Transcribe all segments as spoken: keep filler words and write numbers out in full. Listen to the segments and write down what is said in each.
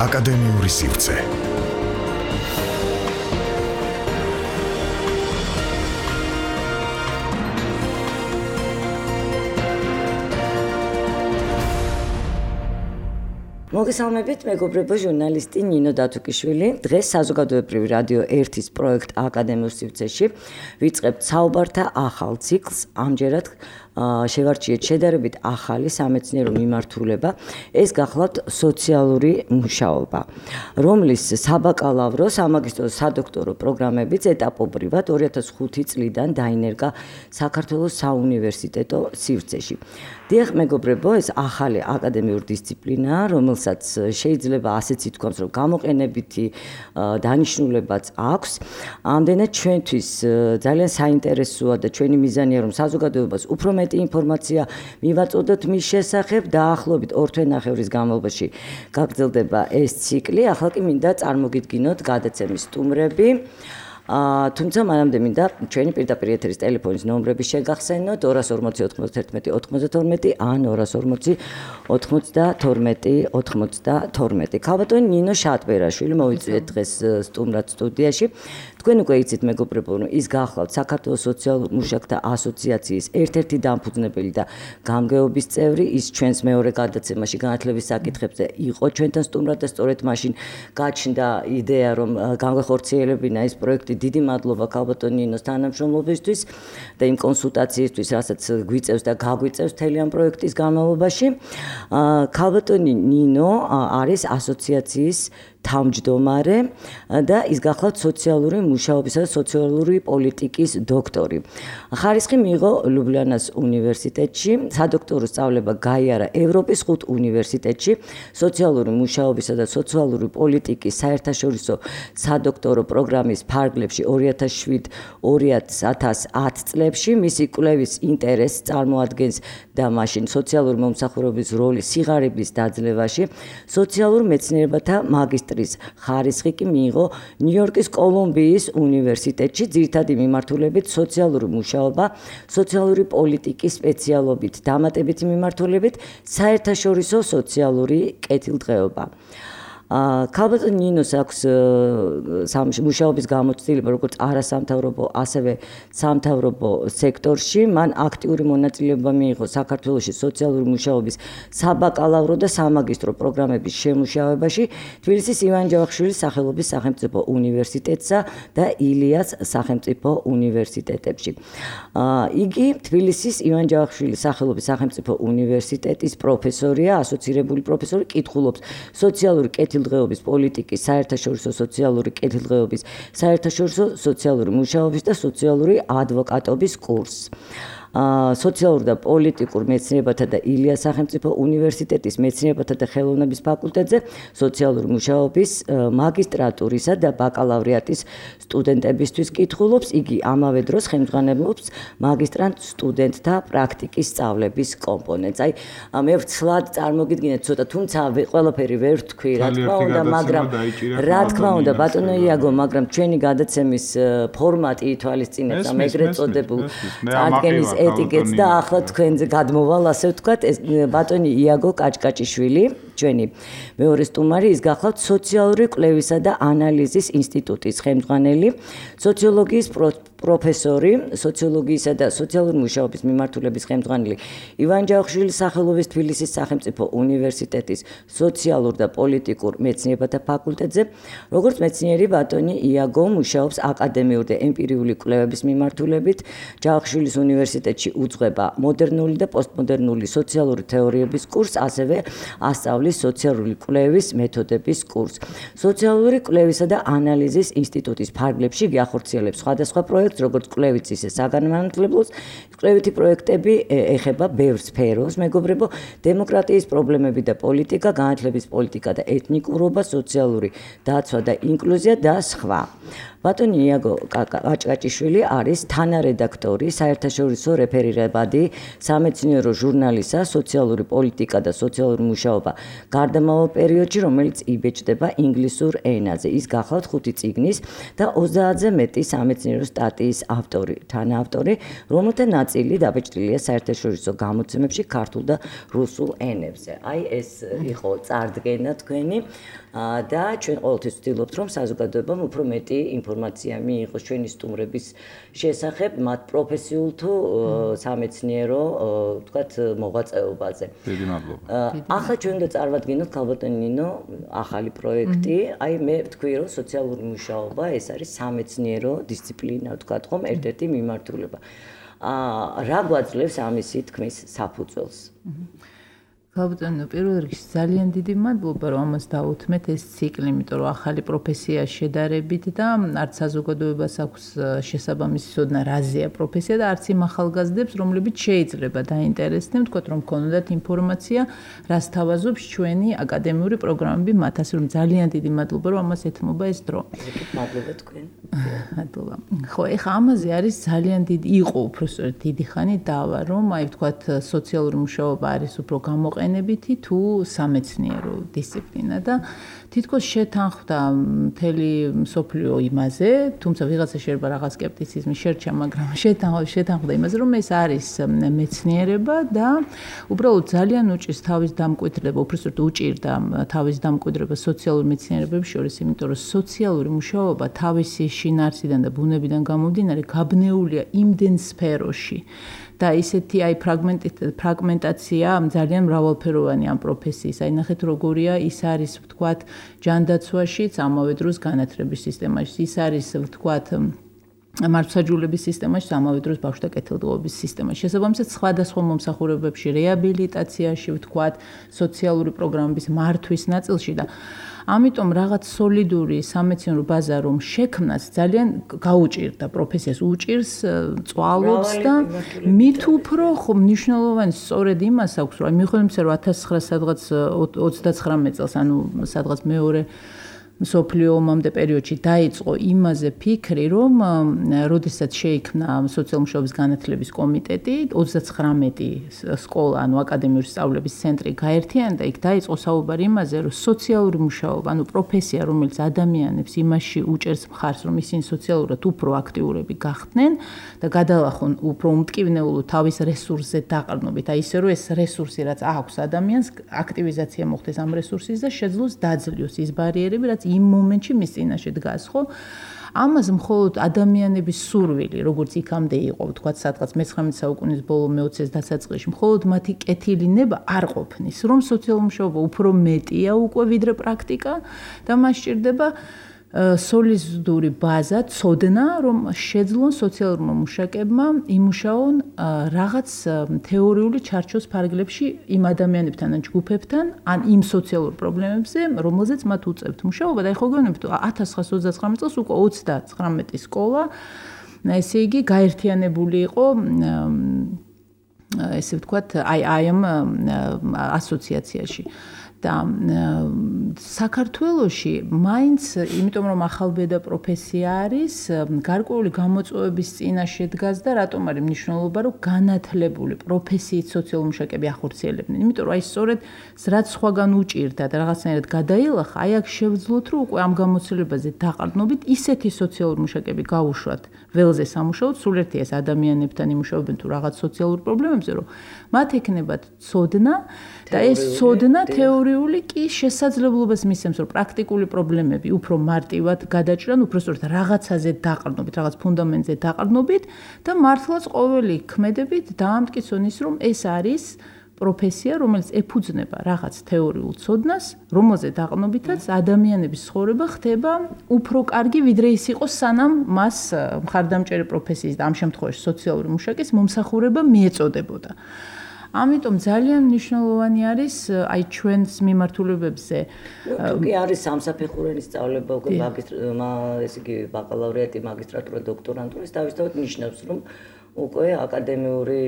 აკადემიური სივრცე. მოგესალმებით, მეგობრებო, ჟურნალისტი ნინო დათუკიშვილი. დღეს საზოგადოებრივი რადიო ერთის პროექტ აკადემიურ სივრცეში ვიწყებთ საუბართა ახალ ციკლს. ამჯერად შევარჩიეთ შედარებით ახალი სამეცნიერო მიმართულება, ეს გახლავთ სოციალური მუშაობა, რომლის საბაკალავრო, სამაგისტრო, სადოქტორო პროგრამებიც ეტაპობრივად ორი ათას ხუთი წლიდან დაინერგა საქართველოს საუნივერსიტეტო სივრცეში. დიახ, მეგობრებო, ეს ახალი აკადემიური დისციპლინაა, რომელსაც შეიძლება ასეც ითქვას, რომ გამოყენებითი დანიშნულებაც აქვს. ამდენად ჩვენთვის ძალიან საინტერესოა და ჩვენი მიზანია, რომ საზოგადოებას უფრო მეტი ინფორმაცია მივაწოდოთ მის შესახებ. დაახლოებით ორ თვენახევრის განმავლობაში გაგრძელდება ეს ციკლი. ახლა კი მინდა წარმოგიდგინოთ გადაცემის სტუმრები. თუმცა მანამდე მინდა ჩვენი პირდაპირ ეთერის ტელეფონის ნომრები შეგახსენოთ ორას ორმოცი ოცდაათი ოცდათორმეტი ან ორას ორმოცი ოცდათორმეტი ოცდათორმეტი. ქალბატონი ნინო შატბერაშვილი მოვიწვიეთ დღეს სტუმრად სტუდიაში. თქვენ უკვე იცით, მეგობრებო, რომ ის გახლავთ საქართველოს სოციალურ მუშაკთა ასოციაციის ერთ-ერთი დამფუძნებელი და გამგეობის წევრი. ის ჩვენს მეორე გადაცემაში განათლების საკითხებზე იყო ჩვენთან სტუმრად და სწორედ მაშინ გაჩნდა იდეა, რომ გამღეხორციელებინა ეს პროექტი. დიდი მადლობა ქალბატონ ნინოს თანამშრომლობისთვის და იმ კონსულტაციისთვის, რასაც გვიწევს და გაგვიწევს მთელი ამ პროექტის განმავლობაში. ქალბატონი ნინო არის ასოციაციის თავმჯდომარე და ის გახლავთ სოციალური მუშაობისა და სოციალური პოლიტიკის დოქტორი. ხარისხი მიიღო ლუბლიანას უნივერსიტეტში, სადოქტორო სწავლება გაიარა ევროპის ხუთ უნივერსიტეტში, სოციალური მუშაობისა და სოციალური პოლიტიკის საერთაშორისო სადოქტორო პროგრამის ფარგლებში ორი ათას შვიდ ორი ათას ათ წლებში. მისი კვლევის ინტერესს წარმოადგენს და მაშინ სოციალური მომსახურების როლი სიღარიბის დაძლევაში. სოციალურ მეცნიერებათა მაგისტრის ხარისხი კი მიიღო ნიუ-იორკის კოლუმბიის უნივერსიტეტში, ძირითადი მიმართულებით სოციალური მუშაობა, სოციალური პოლიტიკის სპეციალობით, დამატებითი მიმართულებით საერთაშორისო სოციალური კეთილდღეობა. ქალბატონ ნინოს აქვს მუშაობის გამოცდილება როგორც არასამთავრობო, ასევე სამთავრობო სექტორში. მან აქტიური მონაწილეობა მიიღო საქართველოში სოციალური მუშაობის საბაკალავრო და სამაგისტრო პროგრამების შემუშავებაში თბილისის ივან ჯავახიშვილის სახელობის სახელმწიფო უნივერსიტეტსა და ილიას სახელმწიფო უნივერსიტეტებში. იგი თბილისის ივან ჯავახიშვილის სახელობის სახელმწიფო უნივერსიტეტის პროფესორია, ასოცირებული პროფესორი, კითხულობს სოციალური კეთილდღეობის დღეობის პოლიტიკის, საერთაშორისო სოციალური კეთილდღეობის, საერთაშორისო სოციალური მუშაობის და სოციალური ადვოკატობის კურსს. სოციალურ და პოლიტიკურ მეცნიერებათა და ილიას სახელმწიფო უნივერსიტეტის მეცნიერებათა და ხელოვნების ფაკულტეტზე სოციალური მუშაობის მაგისტრატურისა და ბაკალავრიატის სტუდენტებისთვის კითხულობს. იგი ამავე დროს ხელმძღვანელობს მაგისტრანტ სტუდენტთა პრაქტიკის სწავლების კომპონენტს. აი, მე ვცლად წარმოგიდგინეთ ცოტა, თუმცა ყველაფერი ვერ ვთქვი, რა თქმა უნდა, მაგრამ რა თქმა უნდა, ბატონო იაგო, მაგრამ ჩვენი გადაცემის ფორმატი ითვალისწინებს ამ ეგრეთ წოდებულ წარდგენის ეტიკეტს და ახლა თქვენზე გადმოვალ, ასე ვთქვათ, ბატონი იაგო კაჭკაჭიშვილი, ჩვენი მეორე სტუმარი, ის გახლავთ სოციალური კვლევისა და ანალიზის ინსტიტუტის ხელმძღვანელი, სოციოლოგიის პროფესორი, სოციოლოგიისა და სოციალური მუშაობის მიმართულების ხელმძღვანელი ივან ჯავახიშვილის სახელობის თბილისის სახელმწიფო უნივერსიტეტის სოციალურ და პოლიტიკურ მეცნიერებათა ფაკულტეტზე. როგორც მეცნიერი, ბატონი იაგო მუშაობს აკადემიური და ემპირიული კვლევების მიმართულებით. ჯავახიშვილის უნივერსიტეტში უძღვება მოდერნული და პოსტმოდერნული სოციალური თეორიების კურსს, ასევე ასწავლის სოციალური კვლევის მეთოდების კურსს. სოციალური კვლევისა და ანალიზის ინსტიტუტის ფარგლებში გახორციელებს სხვადასხვა პროექტს, როგორც კვლევით, ისე საგანმანათლებლოს. კვლევითი პროექტები ეხება ბევრ სფეროს, მეგობრებო, დემოკრატიის პრობლემები და პოლიტიკა, განათლების პოლიტიკა და ეთნიკურობა, სოციალური დაცვა და ინკლუზია და სხვა. ბატონი იაგო კაჭკაჭიშვილი არის თანარედაქტორი საერთაშორისო რეფერირებადი სამეცნიერო ჟურნალისა სოციალური პოლიტიკა და სოციალური მუშაობა გარდამავალ პერიოდში, რომელიც იბეჭდება ინგლისურ ენაზე. ის გახლავთ ხუთი წიგნის და ოცდაათზე მეტი სამეცნიერო სტატიის სტატიის ავტორი, თანაავტორი, რომელთა ნაწილი დაბეჭდილია საერთაშორისო გამოცემებში ქართულ და რუსულ ენებზე. აი ეს იყო წარდგენა თქვენი და ჩვენ ყოველთვის ვცდილობთ, რომ საზოგადოებამ უფრო მეტი ინფორმაცია მიიღოს ჩვენი სტუმრების შესახებ, მათ პროფესიულ თუ სამეცნიერო, ვთქვათ, მოღვაწეობაზე. დიდი მადლობა. ახლა ჩვენ უნდა წარვადგინოთ ქალბატონი ნინო ახალი პროექტი. აი მე ვთქვი, რომ სოციალური მუშაობა ეს არის სამეცნიერო დისციპლინა, ვთქვათ ხომ, ერთ-ერთი მიმართულება. აა რა გვაძლევს ამისი თქმის საფუძველს? ქალბატონო, პირველ რიგში ძალიან დიდი მადლობა, რომ ამას დაუთმეთ ეს ციკლი, იმიტომ რომ ახალი პროფესია შედარებით და არც საზოგადოებას აქვს შესაბამისი ცოდნა რაზეა პროფესია და არც იმ ახალგაზრდებს, რომლებიც შეიძლება დაინტერესდნენ, ვთქვათ, რომ ქონოდათ ინფორმაცია, რას თავაზობს ჩვენი აკადემიური პროგრამები მათ, ასე რომ ძალიან დიდი მადლობა, რომ ამას ეთმობა ეს დრო. მადლობა თქვენ. მადლობა. ხო, ეხა ამაზე არის ძალიან დიდი იყო უბრალოდ დიდი ხანი დავა, რომ აი ვთქვათ, სოციალური მუშაობა არის უფრო გამოყენებული ენებითი თუ სამეცნიერო დისციპლინა და თითქოს შეთანხმდა მთელი მსოფლიო იმაზე, თუმცა ვიღაცა შეიძლება რაღაც სკეპტიციზმი შერჩა, მაგრამ შეთანხმდა იმაზე, რომ ეს არის მეცნიერება და უბრალოდ ძალიან უჭირს თავის დამკვიდრება, უბრალოდ უჭირდა თავის დამკვიდრება სოციალური მეცნიერებების შორის, იმიტომ რომ სოციალური მუშაობა თავისი შინაარსიდან და ბუნებიდან გამომდინარე გაბნეულია იმდენ სფეროში. და ისეთი აი ფრაგმენტაცია ძალიან მრავალფეროვანი ამ პროფესიის. აი ნახეთ როგორია, ის არის ვთქვათ ჯანდაცვაშიც, ამავე დროს განათლების სისტემაში, ის არის ვთქვათ მართლმსაჯულების სისტემაში, ამავე დროს ბავშვთა კეთილდღეობის სისტემაში. შესაბამისად, სხვადასხვა მომსახურებებში, რეაბილიტაციაში, ვთქვათ, სოციალური პროგრამების მართვის ნაწილში და ამიტომ რაღაც სოლიდური სამეცნიერო ბაზა რომ შექმნას ძალიან გაუჭირდა პროფესიას, უჭირს, წვალობს და მით უფრო ხო მნიშვნელოვანი სწორედ იმას აქვს, რომ მიხედვით რომ ათას ცხრაასად ოცდაცხრამეტ წელს, ანუ სადღაც მეორე მსოფლიო ომამდე პერიოდში დაიწყო იმაზე ფიქრი, რომ როდესაც შეიქმნა სოციალური მუშაობის განათლების კომიტეტი, ოცდაცხრამეტი სკოლა, ანუ აკადემიური სწავლების ცენტრი გაერთიანდა, იქ დაიწყო საუბარი იმაზე, რომ სოციალური მუშაობა, ანუ პროფესია, რომელიც ადამიანებს იმაში უჭერს მხარს, რომ ისინი სოციალურად უფრო აქტიურები გახდნენ და გადალახონ უფრო უმტკივნეულო თავის რესურსზე დაყრდნობით, აი ისე რომ ეს რესურსი რაც აქვს ადამიანს, აქტივიზაცია მოხდეს ამ რესურსის და შეძლოს დაძლიოს ის ბარიერები, რაც იმ მომენტში მის წინაშე დგას, ხო? ამას მხოლოდ ადამიანების სურვილი, როგორც იქამდე იყო, ვთქვათ, სადღაც მეცხრამეტე საუკუნის ბოლო მეოცეს დასაწყისში, მხოლოდ მათი კეთილინება არ ყოფნის, რომ სოციალური მუშაობა უფრო მეტია უკვე ვიდრე პრაქტიკა და მას სჭირდება სოლიდური ბაზა, ცოდნა, რომ შეძლონ სოციალურმა მუშაკებმა იმუშაონ რაღაც თეორიული ჩარჩოს ფარგლებში იმ ადამიანებთან ან ჯგუფებთან, ან იმ სოციალურ პრობლემებზე, რომელზეც მათ უწევთ მუშაობა და ეხლა გეუბნებით ათას ცხრაასა ოცდაცხრამეტ წელს უკვე ოცდაცხრამეტი სკოლა, ესე იგი გაერთიანებული იყო ესე ვთქვათ, აი აი ამ ასოციაციაში. და საქართველოში მაინც, იმიტომ რომ ახალბედა პროფესია არის, გარკვეული გამოწვევების წინაშე დგას და რატომ არის მნიშვნელობა, რომ განათლებული პროფესიით სოციალური მუშაკები ახორციელებდნენ. იმიტომ რომ აი სწორედ რაც სხვაგან უჭირდა და რაღაცნაირად გადაილახა, აი აქ შევძლოთ, რომ უკვე ამ გამოცდილებაზე დაყრდნობით ისეთი სოციალური მუშაკები გაუშვათ ველზე სამუშაოდ, სულ ერთი ეს ადამიანებთან იმუშაობენ თუ რაღაც სოციალურ პრობლემებზე, რომ მათ ექნებათ ცოდნა და ეს ცოდნა თეორიული კი შესაძლებლობას მისცემს, რომ პრაქტიკული პრობლემები უფრო მარტივად გადაჭრან, უფრო სწორედ რაღაცაზე დაყრდნობით, რაღაც ფუნდამენტზე დაყრდნობით და მართლაც ყოველი ქმედებით დაამტკიცონ ის, რომ ეს არის პროფესია, რომელიც ეფუძნება რაღაც თეორიულ ცოდნას, რომელზე დაყრდნობითაც ადამიანების ცხოვრება ხდება უფრო კარგი, ვიდრე ის იყოს სანამ მას მხარდამჭერი პროფესიის და ამ შემთხვევაში სოციალური მუშაკის მომსახურება მიეწოდებოდა. ამიტომ ძალიან მნიშვნელოვანი არის აი ჩვენს მიმართულებებზე. თუ კი არის სამსაფეხურიანი სწავლება, უკვე მაგისტრმა, ესე იგი ბაკალავრიატი, მაგისტრატურა, დოქტორანტურა, ეს თავისთავად ნიშნავს, რომ უკვე აკადემიური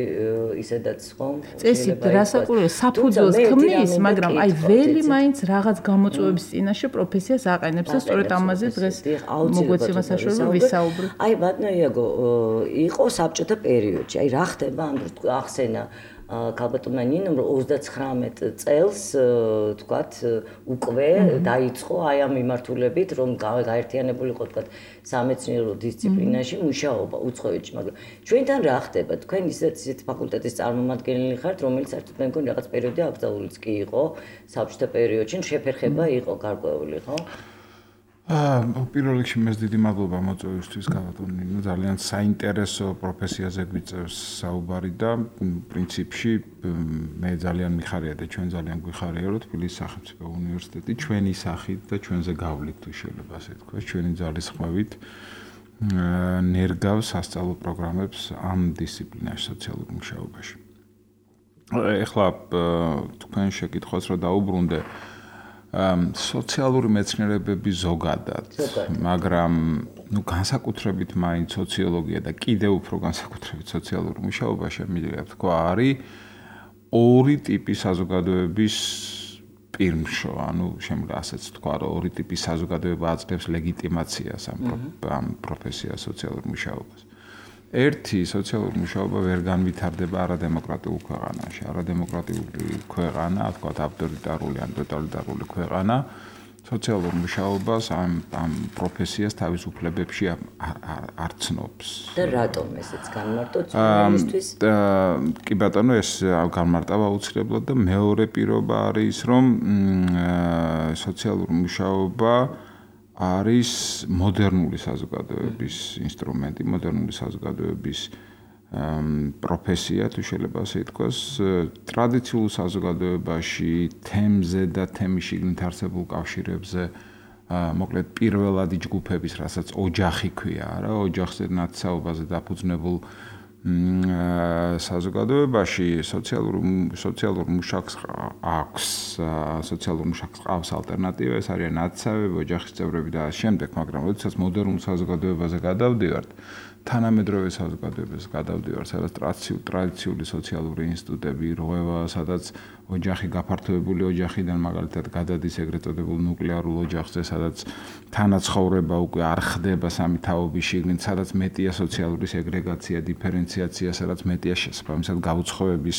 ისედაც ხომ წესით რასაკვირველია საფუძველს ქმნის, მაგრამ აი ველი მაინც რაღაც გამოწვევების წინაშე პროფესიას აყენებს და სწორედ ამაზე დღეს მოგვეცემა საშუალება ვისაუბროთ. აი ბატონო იაგო, იყო საბჭოთა პერიოდში, აი რა ხდება ამ დროს ახსენა ქალბატონმა ნინომ რომ ოცდაცხრამეტ წელს თქვათ უკვე დაიწყო აი ამ მიმართულებით რომ გაერთიანებულიყო თქვათ სამეცნიერო დისციპლინაში მუშაობა უცხოეთში, მაგრამ ჩვენთან რა ხდება? თქვენ ისეთ ისეთ ფაკულტეტის წარმომადგენელი ხართ, რომელიც საერთოდ მე მგონი რაღაც პერიოდი აკრძალულიც კი იყო საბჭოთა პერიოდში, შეფერხება იყო გარკვეული, ხო? აა პირველ რიგში მე დიდი მადლობა მოწვევისთვის ქალბატონი, ნუ ძალიან საინტერესო პროფესიაზე გვიწევს საუბარი და პრინციპში მე ძალიან მიხარია და ჩვენ ძალიან გვიხარია რომ თბილისის სახელმწიფო უნივერსიტეტი ჩვენი სახით და ჩვენზე გავლით თუ შეიძლება ასე თქვა, ჩვენი ძალისხმევით ნერგავს სასწავლო პროგრამებს ამ დისციპლინაში სოციალურ მუშაობაში. ეხლა თქვენ შეკითხვას რომ დაუბრუნდე სოციალური მეცნიერებები ზოგადად, მაგრამ ნუ განსაკუთრებით მაინც სოციოლოგია და კიდევ უფრო განსაკუთრებით სოციალური მუშაობა შემიძლია თქვა არის ორი ტიპის საზოგადოების პირმშო, ანუ შემიძლია ასეც თქვა, რომ ორი ტიპის საზოგადოება აძლევს ლეგიტიმაციას ამ პროფესიას სოციალურ მუშაობას. ერთი სოციალური მუშაობა ვერ განვითარდება არადემოკრატიულ ქვეყანაში. არადემოკრატიული ქვეყანა, თქვათ ავტორიტარული ან ტოტალიტარული ქვეყანა, სოციალურ მუშაობას ამ ამ პროფესიას თავის უფლებებში არ ცნობს. და რატომ ესეც განმარტოთ ჩვენისთვის? კი ბატონო, ეს განმარტება აუცილებლად და მეორე პირობა არის, რომ სოციალურ მუშაობა არის მოდერნული საზოგადოების ინსტრუმენტი, მოდერნული საზოგადოების პროფესია, თუ შეიძლება ასე ითქვას, ტრადიციულ საზოგადოებაში თემზე და თემის შიგნით არსებულ კავშირებზე, მოკლედ პირველადი ჯგუფების, რასაც ოჯახი ქვია, რა, ოჯახზე ნათესაობაზე დაფუძნებულ საზოგადოებაში სოციალურ სოციალურ მუშაკს აქვს, სოციალურ მუშაკს ყავს ალტერნატივა, ეს არის ნათესავები, ოჯახის წევრები და ამ შემდეგ, მაგრამ როდესაც მოდერნულ საზოგადოებაზე გადავდივართ, თანამედროვე საზოგადოებაზე გადავდივართ, სადაც ტრადიციული სოციალური ინსტიტუტები რღვევა, სადაც ოჯახი გაფართოებული ოჯახიდან მაგალითად გადადის ეგრეთ წოდებულ ნუკლეარულ ოჯახზე, სადაც თანაცხოვრება უკვე არ ხდება სამი თაობის შიგნით, სადაც მეტია სოციალური სეგრეგაცია, დიფერენციაცია, სადაც მეტია შესაბამისად გაუცხოების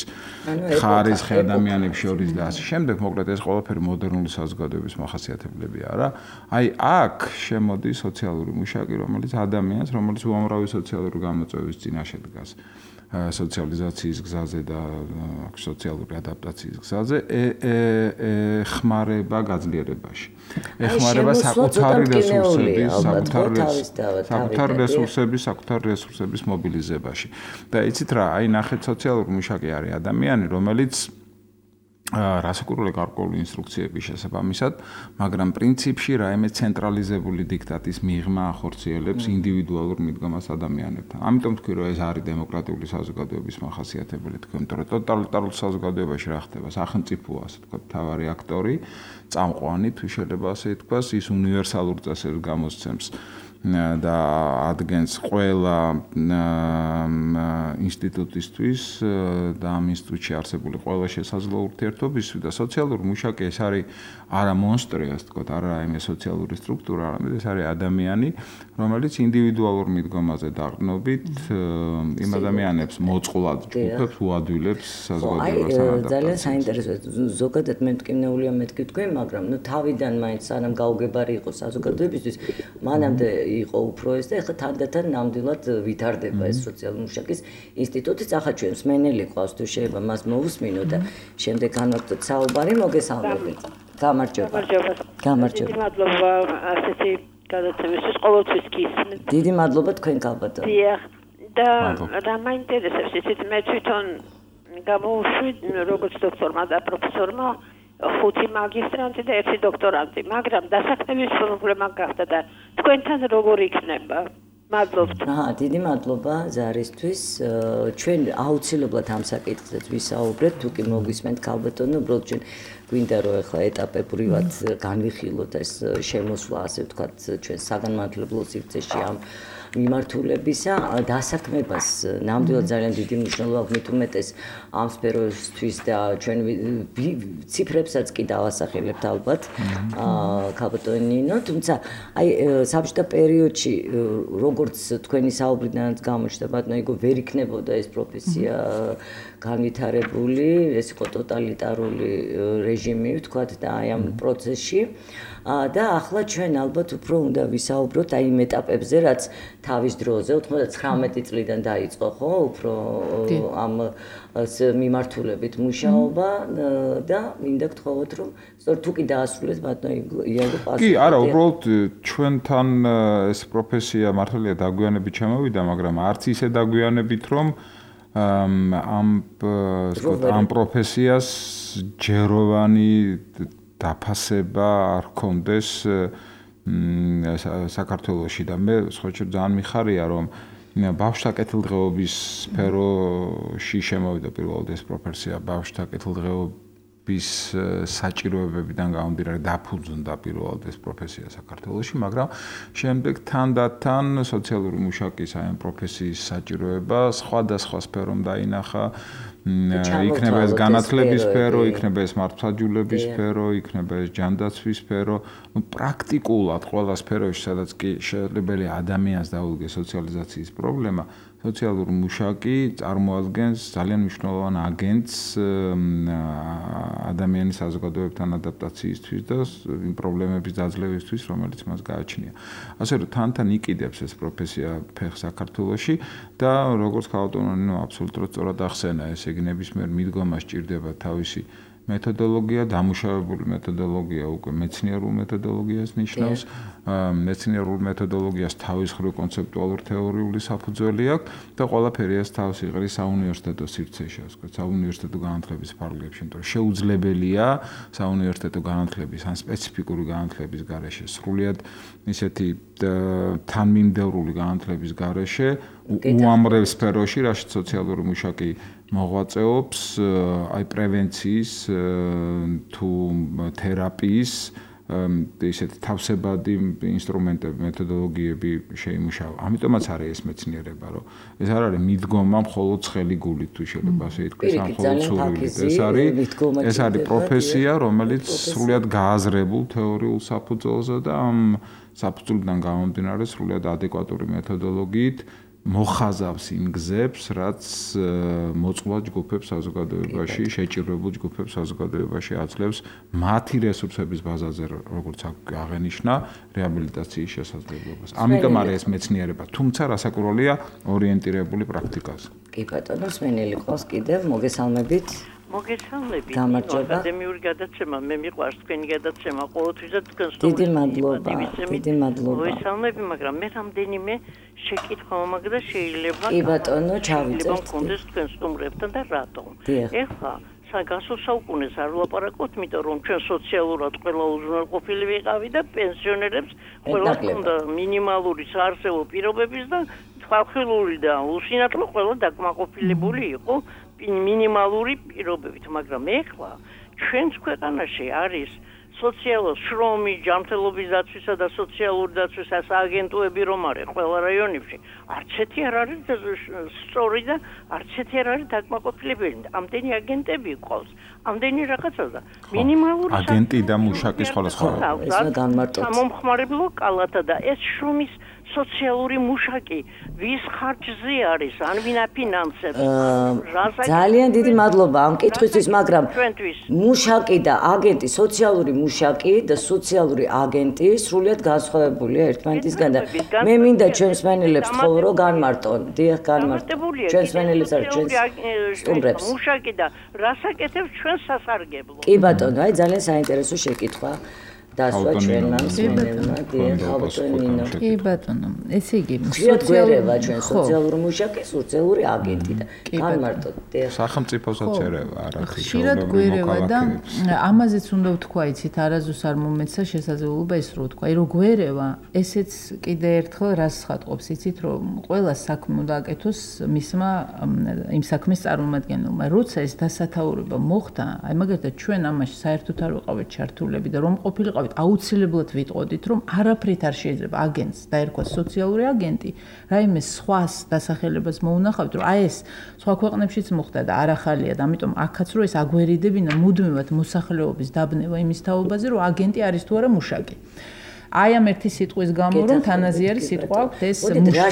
ხარისხი ადამიანებს შორის და ასე შემდეგ, მოკლედ ეს ყველაფერი მოდერნული საზოგადოების მახასიათებლებია რა. აი აქ შემოდის სოციალური მუშაკი, რომელიც ადამიანს, რომელიც უამრავი სოციალური გამოწვევის წინაშე დგას. სოციალიზაციის გზაზე და სოციალური ადაპტაციის გზაზე ეხმარება გაძლიერებაში. ეხმარება საკუთარი რესურსების, საკუთარი რესურსების, საკუთარი რესურსების მობილიზებაში. და იცით რა, აი ნახეთ, სოციალური მუშაკი არის ადამიანი, რომელიც რასაკურველი გარკვეული ინსტრუქციების შესაბამისად, მაგრამ პრინციპში რაიმე ცენტრალიზებული დიქტატის მიღმა ახორციელებს ინდივიდუალურ მიდგომას ადამიანებთან. ამიტომ თქვი, რომ ეს არის დემოკრატიული საზოგადოების მახასიათებელი, თქვი, იმიტომ რომ ტოტალიტარულ საზოგადოებაში რა ხდება? სახელმწიფოა, ასე თქვა, მთავარი აქტორი, წამყვანი, თუ შეიძლება ასე ითქვას, ის უნივერსალურ წესებს გამოსცემს და ადგენს ყველა ინსტიტუტისთვის და ამ ინსტიტუტში არსებული ყველა შესაძლო ურთიერთობისთვის და სოციალური მუშაკი ეს არის არა მონსტრი, ასე თქვა, არა რაიმე სოციალური სტრუქტურა, არამედ ეს არის ადამიანი, რომელიც ინდივიდუალურ მიდგომაზე დაყრდნობით იმ ადამიანებს მოწყვლად ჯგუფებს უადვილებს საზოგადოებასთან ადაპტაციას. ძალიან საინტერესოა. ზოგადად მე მტკივნეულია მეთქი თქვენ, მაგრამ ნუ თავიდან მაინც სანამ გაუგებარი იყო საზოგადოებისთვის, მანამდე იყო უფრო ეს და ეხლა თანდათან ნამდვილად ვითარდება ეს სოციალური მუშაკის ინსტიტუტიც. ახლა ჩვენ მსმენელი ყავს, თუ შეიძლება მას მოусმინო და შემდეგ განვაგრძელოთ საუბარი. მოგესალმებით. გამარჯობა. გამარჯობა. დიდი მადლობა ასეთი გადაცემისთვის, ყოველთვის გისმენთ. დიდი მადლობა თქვენ ქალბატონო. დიახ. და რა მაინტერესებს ისიც მე თვითონ გამოვშვი როგორც დოქტორმა და პროფესორმა ხუთი მაგისტრანტი და ერთი დოქტორანტი, მაგრამ დასაქმების პრობლემა გახდა და თქვენთან როგორ იქნება? მადლობთ. აა, დიდი მადლობა ზარისთვის. ჩვენ აუცილებლად ამ საკითხზეც ვისაუბრეთ, თუ კი მოგვისმენთ ქალბატონო, უბრალოდ ჩვენ გვინდა რომ ახლა ეტაპებრივად განვიხილოთ ეს შემოსვლა, ასე ვთქვათ, ჩვენ საგანმანათლებლო სივრცეში ამ მიმართულებისა დასაქმებას ნამდვილად ძალიან დიდი მნიშვნელობა მით უმეტეს ამ სფეროსთვის და ჩვენ ციფრებსაც კი დავასახელებთ ალბათ ქალბატონინო, თუმცა აი საბჭოთა პერიოდში როგორც თქვენი საუბრიდანაც გამოჩნდა ბატონო იგო ვერ იქნებოდა ეს პროფესია განვითარებული, ეს იყო ტოტალიტარული რეჟიმი ვთქვათ და აი ამ პროცესში და ახლა ჩვენ ალბათ უფრო უნდა ვისაუბროთ აი იმ ეტაპებზე რაც თავის დროზე ოთხმოცდათცხრამეტი წლიდან დაიწყო ხო უფრო ამ მიმართულებით მუშაობა და მინდა გთხოვოთ რომ სწორედ თუ კი დაასრულეთ ბატონო იაგო პასუხი. კი, არა, უბრალოდ ჩვენთან ეს პროფესია მართალია დაგვიანებით ჩამოვიდა, მაგრამ არც ისე დაგვიანებით რომ ამ ამ პროფესიას ჯეროვანი დაფასება არ ჰქონდეს საქართველოში და მე სხვაჩვენად ძალიან მიხარია რომ ბავშვთა კეთილდღეობის სფეროში შემოვიდა პირველად ეს პროფესია ბავშვთა კეთილდღეობის საჭიროებებიდან გამომდინარე დაფუძნდა პირველად ეს პროფესია საქართველოში, მაგრამ შემდეგ თანდათან სოციალური მუშაკის აი ამ პროფესიის საჭიროება სხვადასხვა სფერომ დაინახა იქნება ეს განათლების სფერო, იქნება ეს მართლმსაჯულების სფერო, იქნება ეს ჯანდაცვის სფერო, ну პრაქტიკულად ყველა სფეროში, სადაც კი შესაძლებელია ადამიანს დაუდგეს სოციალიზაციის პრობლემა, სოციალური მუშაკი წარმოადგენს ძალიან მნიშვნელოვან აგენტს ადამიანის საზოგადოებთან ადაპტაციისთვის და იმ პრობლემების დაძლევისთვის, რომელიც მას გააჩნია. ასე რომ თანთან იყიდებს ეს პროფესია ფეხს საქართველოში და როგორც ქალბატონინო აბსოლუტურად სწორად ახსენა, ესე იგი ნებისმიერ მიდგომას სჭირდება თავისი მეთოდოლოგია, დამუშავებული მეთოდოლოგია უკვე მეცნიერულ მეთოდოლოგიას ნიშნავს, მეცნიერულ მეთოდოლოგიას თავის მხრივ კონცეპტუალურ თეორიული საფუძველი აქვს და ყველაფერი ეს თავს იღრის საუნივერსიტეტო სივრცეში, ასე ვთქვათ, საუნივერსიტეტო განათლების ფარგლებში, იმიტომ რომ შეუძლებელია საუნივერსიტეტო განათლების ან სპეციფიკური განათლების გარეშე სრულიად ისეთი თანმიმდევრული განათლების გარეშე უამრავ სფეროში, რაშიც სოციალური მუშაკი მოღვაწეობს, აი პრევენციის თუ თერაპიის ისეთი თავსებადი ინსტრუმენტები, მეთოდოლოგიები შეიმუშავა. ამიტომაც არის ეს მეცნიერება, რომ ეს არ არის მიდგომა მხოლოდ ცხელი გულით თუ შეიძლება ასე ითქვას, ან მხოლოდ სურვილით. ეს არის ეს არის პროფესია, რომელიც სრულიად გააზრებულ თეორიულ საფუძველზე და ამ საფუძვლიდან გამომდინარე სრულიად ადეკვატური მეთოდოლოგიით მოხაზავს იმ გზებს, რაც მოწყვლად ჯგუფებს საზოგადოებაში, შეჭირებულ ჯგუფებს საზოგადოებაში აძლევს მათი რესურსების ბაზაზე, როგორც აღენიშნა, რეაბილიტაციის შესაძლებლობას. ამიტომ არის ეს მეცნიერება, თუმცა რასაკვირველია ორიენტირებული პრაქტიკაზე. კი ბატონო, სმენელი ყავს კიდევ, მოგესალმებით. მოგესალმებით. გამარჯობა. აკადემიური გადაცემა, მე მიყვარს თქვენი გადაცემა, ყოველთვისაც თქვენს დიდი მადლობა. დიდი მადლობა. მოგესალმებით, მაგრამ მე რამდენიმე შეკითხვა მომაგდა შეიძლება. კი ბატონო, ჩავიწერთ. მქონდეს თქვენ სტუმრებთან და რატომ? ეხლა საგასულ საუკუნეს არ ვლაპარაკობთ, იმიტომ რომ ჩვენ სოციალურად ყველა უზრუნველყოფილი ვიყავი და პენსიონერებს ყველა ჰქონდა მინიმალური საარსებო პირობების და ხალხური და უსინათლო ყველა დაკმაყოფილებული იყო მინიმალური პირობებით, მაგრამ ეხლა ჩვენს ქვეყანაში არის სოციალურ შრომი, ჯანმრთელობის დაცვისა და სოციალური დაცვის აგენტოები რომ არის ყველა რაიონებში, არც ერთი არ არის სწორი და არც ერთი არ არის დაკმაყოფილებელი. ამდენი აგენტები ყავს, ამდენი რაღაცა და მინიმალური აგენტი და მუშაკი სხვადასხვა. ეს განმარტოთ. სამომხმარებლო კალათა და ეს შრომის სოციალური მუშაკი ვის ხარჯზე არის, ან ვინ აფინანსებს? ძალიან დიდი მადლობა ამ კითხვისთვის, მაგრამ მუშაკი და აგენტი, სოციალური მუშაკი და სოციალური აგენტი სრულიად განსხვავებულია ერთმანეთისგან და მე მინდა ჩვენს მსმენელებს თხოვო რომ განმარტონ. დიახ, განმარტონ. ჩვენს მსმენელებს არ ჩვენს სტუმრებს. მუშაკი და რასაკეთებს ჩვენ სასარგებლო? კი ბატონო, აი ძალიან საინტერესო შეკითხვა. დასვა ჩვენმა მსმენელმა დიახავტონინო. კი ბატონო, ესე იგი სოციალურია ჩვენ სოციალური მუშაკი, სოციალური აგენტი და არ მარტო სახელმწიფოსაც ერევა არა ხშირად გვერევა და ამაზეც უნდა ვთქვა იცით არაზუს არ მომეცა შესაძლებლობა ის რო ვთქვა, რომ გვერევა ესეც კიდე ერთხელ რას ხატყობს იცით რომ ყველა საქმე უნდა აკეთოს მისმა იმ საქმის წარმომადგენელმა როცა ეს დასათაურება მოხდა აი მაგალითად ჩვენ ამაში საერთოდ არ ვიყავით ჩართულები და რომ ყოფილიყავით აუცილებლად ვიტყოდით რომ არაფრით არ შეიძლება აგენტს დაერქვას სოციალური აგენტი რაიმე სხვას დასახელებას მოუნახავთ რომ აი ეს სხვა ქვეყნებშიც მოხდა და არ ახალია და ამიტომ აქაც რო ეს აგვერიდებინა მუდმივად მოსახლეობის დაბნება იმის თაობაზე რომ აგენტი არის თუ არა მუშაკი აი ამ ერთი სიტყვის გამო რომ თანაზიარი სიტყვა აქვს ეს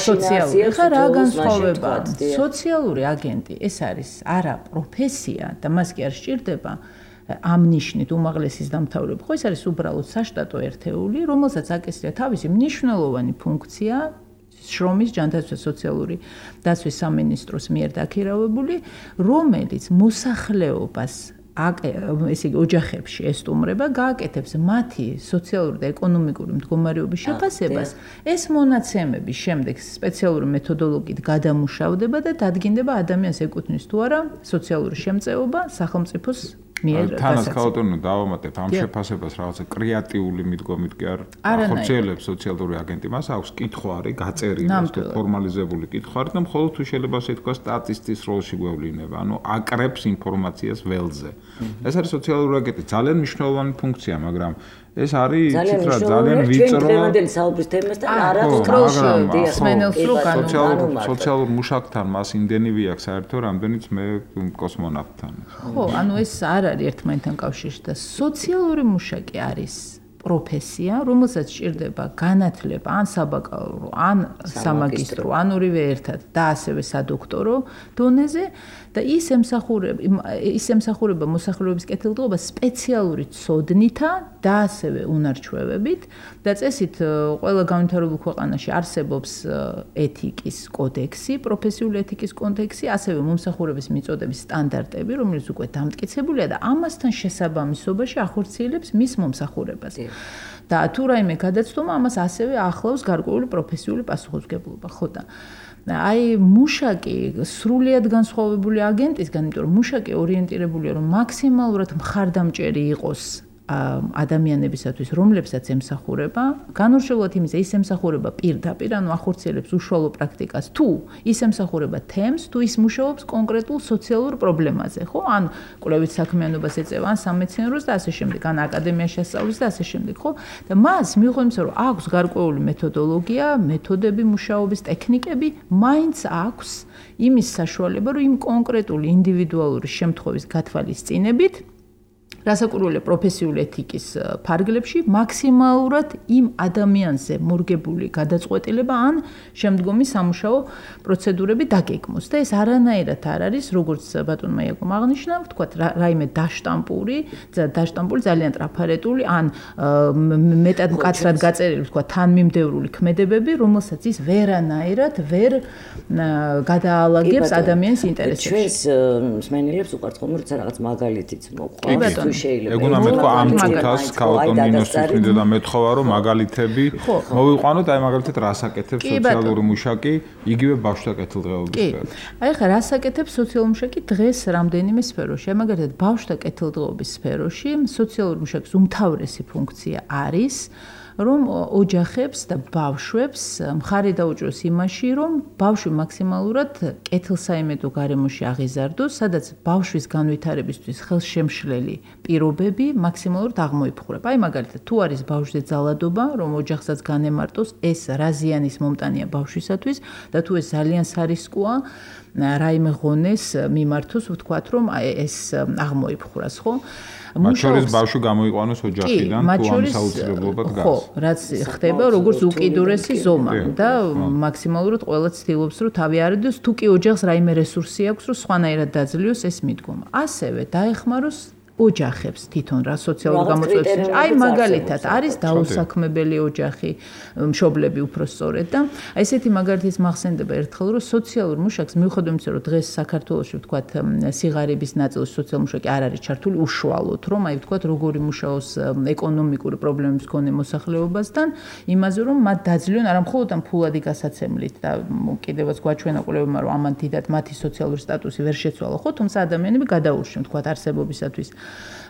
სოციალური ხა რა განსხვავება სოციალური აგენტი ეს არის არა პროფესია და მას კი არ სჭირდება ამ ნიშნით უმაღლესის დამთავრება ხო ეს არის უბრალოდ საშტატო ერთეული რომელსაც აკისრია თავისი მნიშვნელოვანი ფუნქცია შრომის ჯანდაცვის სოციალური დაცვის სამინისტროს მიერ დაქირავებული რომელიც მოსახლეობას ესე იგი ოჯახებში ესტუმრება გააკეთებს მათი სოციალური და ეკონომიკური მდგომარეობის შეფასებას ეს მონაცემები შემდეგ სპეციალური მეთოდოლოგიით გადამუშავდება და დადგინდება ადამიანს ეკუთვნის თუ არა სოციალური შემწეობა სახელმწიფოს მიერ თანაც ქაუტონო დავამატებ ამ შეფასებას რაღაცა კრეატიული მიდგომით კი არ ახორციელებს სოციალური აგენტი მას აქვს კითხვარი გაწერილი თუ ფორმალიზებული კითხვარი და მხოლოდ თუ შეიძლება ასე თქვა სტატისტის როლში გვევლინება ანუ აკრებს ინფორმაციას ველზე ეს არის სოციალური აგენტი ძალიან მნიშვნელოვანი ფუნქცია მაგრამ ეს არის იცით რა ძალიან ვიწრო დღევანდელი საუბრის თემასთან არ აქვს კროლში სმენელს რო განსხვავებული სოციალურ მუშაკთან მას იმდენივე აქვს საერთო რამდენიც მე კოსმონავტთან ხო ანუ ეს არ არის ერთმანეთთან კავშირში და სოციალური მუშაკი არის პროფესია, რომელსაც სჭირდება განათლება ან საბაკალავრო, ან სამაგისტრო, ან ორივე ერთად და ასევე სადოქტორო დონეზე და ის ემსახურება ის ემსახურება მოსახლეობის კეთილდღეობას სპეციალური ცოდნითა და ასევე უნარჩვევებით და წესით ყველა განვითარებულ ქვეყანაში არსებობს ეთიკის კოდექსი, პროფესიული ეთიკის კოდექსი, ასევე მომსახურების მიწოდების სტანდარტები, რომელიც უკვე დამტკიცებულია და ამასთან შესაბამისობაში ახორციელებს მის მომსახურებას. და თუ რაიმე გადაცდომა ამას ასევე ახლავს გარკვეული პროფესიული პასუხისმგებლობა, ხო და აი მუშაკი სრულიად განსხვავებული აგენტისგან, იმიტომ რომ მუშაკი ორიენტირებულია რომ მაქსიმალურად მხარდამჭერი იყოს ადამიანებისათვის, რომლებსაც ემსახურება, განურჩევლად იმისა, ის ემსახურება პირდაპირ, ანუ ახორციელებს უშუალო პრაქტიკას, თუ ის ემსახურება თემს, თუ ის მუშაობს კონკრეტულ სოციალურ პრობლემაზე, ხო? ან კვლევით საქმიანობას ეწევა, ან სამეცნიეროს და ასე შემდეგ, ან აკადემიაში ასწავლის და ასე შემდეგ, ხო? და მას მიუხედავად იმისა, რომ აქვს გარკვეული მეთოდოლოგია, მეთოდები მუშაობის, ტექნიკები, მაინც აქვს იმის საშუალება, რომ იმ კონკრეტული ინდივიდუალური შემთხვევის გათვალისწინებით რასაკურველია პროფესიული ეთიკის ფარგლებში მაქსიმალურად იმ ადამიანზე მორგებული გადაწყვეტილება ან შემდგომი სამუშაო პროცედურები დაგეგმოს და ეს არანაირად არ არის როგორც ბატონმა იაკომ აღნიშნა ვთქვათ რაიმე დაშტამპური დაშტამპული ძალიან ტრაფარეტული ან მეტად მკაცრად გაწერილი ვთქვათ თანმიმდევრული ქმედებები რომელსაც ის ვერანაირად ვერ გადაალაგებს ადამიანის ინტერესებში ჩვენს მსმენელებს უყვართ ხოლმე როცა რაღაც მაგალითიც მოყვართ შეიძლება. ეგონა მეთქვა ამ წუთას ქაუტონინოსთვის მინდა და მეთხოვა რომ მაგალითები მოვიყვანოთ აი მაგალითად რას აკეთებს სოციალური მუშაკი იგივე ბავშვთა კეთილდღეობის სფეროში. აი ხა რას აკეთებს სოციალური მუშაკი დღეს რამდენიმე სფეროში. აი მაგალითად ბავშვთა კეთილდღეობის სფეროში სოციალური მუშაკის უმთავრესი ფუნქცია არის რომ ოჯახებს და ბავშვებს მხარი დაუჭროს იმაში, რომ ბავშვი მაქსიმალურად კეთილსაიმედო გარემოში აღიზარდოს, სადაც ბავშვის განვითარებისთვის ხელშემშლელი პირობები მაქსიმალურად აღმოიფხვრება. აი მაგალითად, თუ არის ბავშვზე ძალადობა, რომ ოჯახსაც განემარტოს, ეს რა ზიანის მომტანია ბავშვისათვის და თუ ეს ძალიან სარისკოა, რაიმე ღონეს მიმართოს, ვთქვათ, რომ ეს აღმოიფხვრას, ხო? მათ შორის ბავშვი გამოიყვანოს ოჯახიდან, თუ ამ საუცილებლობა დგას. ხო, რაც ხდება როგორც უკიდურესი ზომა და მაქსიმალურად ყველა ცდილობს, რომ თავი არიდოს, თუ კი ოჯახს რაიმე რესურსი აქვს, რომ სხვანაირად დაძლიოს ეს მიდგომა. ასევე დაეხმაროს ოჯახებს თვითონ რა სოციალური გამოწვევების. აი მაგალითად არის დაუსაქმებელი ოჯახი, მშობლები უფრო სწორედ და აი ესეთი მაგალითის მახსენდება ერთხელ რომ სოციალურ მუშაკს მიუხედავად იმისა რომ დღეს საქართველოში ვთქვათ სიღარიბის ნაწილში სოციალურ მუშაკი არ არის ჩართული უშუალოდ რომ აი ვთქვათ როგორი მუშაობს ეკონომიკური პრობლემების მქონე მოსახლეობასთან იმაზე რომ მათ დაძლიონ არა მხოლოდ ამ ფულადი გასაცემლით და კიდევაც გვაჩვენა კვლევებმა რომ ამან დიდად მათი სოციალური სტატუსი ვერ შეცვალა ხო თუმცა ადამიანები გადაურჩნენ ვთქვათ არსებობისათვის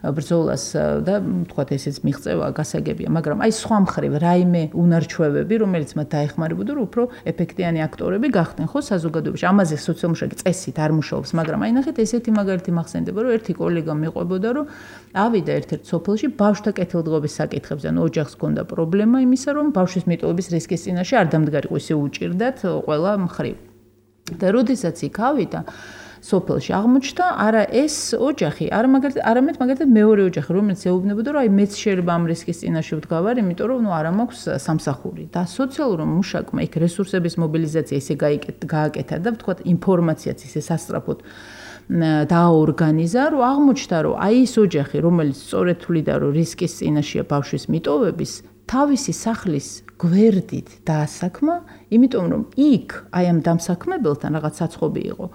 ბრძოლას და ვთქვათ ესეც მიღწევა გასაგებია მაგრამ აი სხვა მხრივ რაიმე უნარჩვევები რომელიც მათ დაეხმარებოდა რომ უფრო ეფექტიანი აქტორები გახდნენ ხო საზოგადოებაში ამაზე სოციალურ მუშაკი წესით არ მუშაობს მაგრამ აი ნახეთ ესეთი მაგალითი მახსენდება რომ ერთი კოლეგა მიყვებოდა რომ ავიდა ერთ-ერთ სოფელში ბავშვთა კეთილდღეობის საკითხებზე ანუ ოჯახს ჰქონდა პრობლემა იმისა რომ ბავშვის მიტოვების რისკის წინაშე არ დამდგარიყო ისე უჭირდათ ყველა მხრივ და როდესაც იქ ავიდა სოფელში აღმოჩნდა არა ეს ოჯახი არა მაგალითად არამედ მაგალითად მეორე ოჯახი რომელიც ეუბნებოდა რომ აი მეც შეიძლება ამ რისკის წინაშე ვდგავარ იმიტომ რომ ნუ არა მაქვს სამსახური და სოციალურ მუშაკმა იქ რესურსების მობილიზაცია ისე გააკეთა და ვთქვათ ინფორმაციაც ისე სასწრაფოდ დააორგანიზა რომ აღმოჩნდა რომ აი ეს ოჯახი რომელიც სწორედ თვლიდა რომ რისკის წინაშეა ბავშვის მიტოვების თავისი სახლის გვერდით დაასაქმა იმიტომ რომ იქ აი ამ დამსაქმებელთან რაღაც საცხობი იყო